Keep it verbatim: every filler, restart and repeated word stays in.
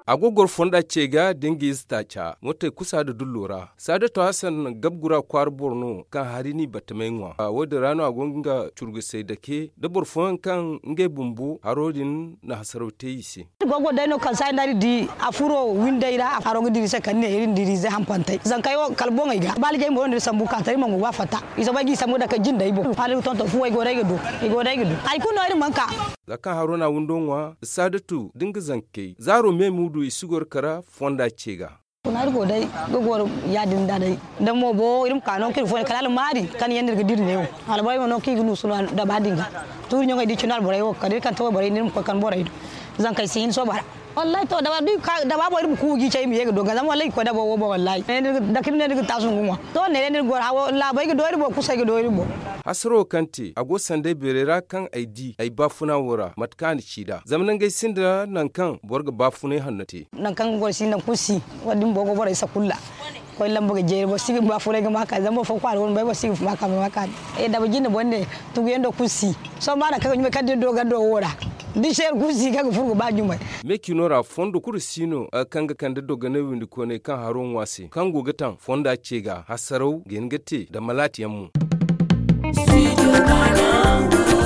A go goro fonda ce ga da nga ize taaca mootey kusa nda dullo ra. Saadato hasan gabgura kwaara boro no kaŋ hari n'i battamey ŋwa. Wo- din ra no a go nga curgusey dake nda boro fooyaŋ kaŋ ngey bumbo haro din na hasaraw te i se. Iri go ga goro day no kaŋ saaya nda iri di a furo windey ra haro ga dira i se kala ne iri na dira ize hampantey zankey wo kala boŋey ga baalijey mo no iri sambu ka ta iri mana go ga a fatta. I soobay ga i sambu dake jindey boŋ hala iri ga tonton fuwey go day ga du. I go day ga du hari kulu no iri mana ka. Za kaŋ haro na windo ŋwa saadatu da nga zankey zaaro me muudu i si goro kara fonda ce ga. Kuna iri go day ga goro ya- din da day da mo bo iri ma ka no kaŋ iri fooyaŋ kala almaari kaŋ yaŋ no iri ga dira neewo. Albaray mo no kaŋ i ga nuusu no daba din ga tuuri ɲaŋey da i cine alborey wo kala iri kaŋ ta wayborey no iri ma koy kaŋ borey do. Zankey si hin sooba ra. Wallahi to daba boŋ iri ma ku ga i cay i ma ye ga doga zama wallahi i ga koy daba wo boŋ wallahi. Dake iri ne iri ga taasu ngu ŋwa to ne day no iri ga goro hawo laabey ga do iri boŋ kusey ga do iri boŋ. Hasaro kaŋ te a go sanday beeray ra kaŋ ay di ay baafuna wo ra mate kaŋ a na ci nd'a zama nangey sinda nangu kaŋ boro ga baafunay hanno te. Nangu kaŋ ga goro si nangu kulu si. Wo- din boro go borey sakulla koy lamba ga jeeri boro si ga baafunay ga ma ka zama boro fo kwaara go no bay boro si ga ma ka ma ka. Daba jinde boŋ ne tuguyaŋ do kulu si. Sohõ ba nangu kaŋ ga ɲumay kaŋ da iri do gando wo ra da seeri kulu si kaŋ ga furo ga ba ɲumay. Me cino ra fondo kulu si no kaŋ ga kande dogonay windi koonay kaŋ haro ŋwa se kaŋ go ga taŋ fonda ce ga hasaraw ga hin ga te nda malaati yaŋ mo. Studio Ghana.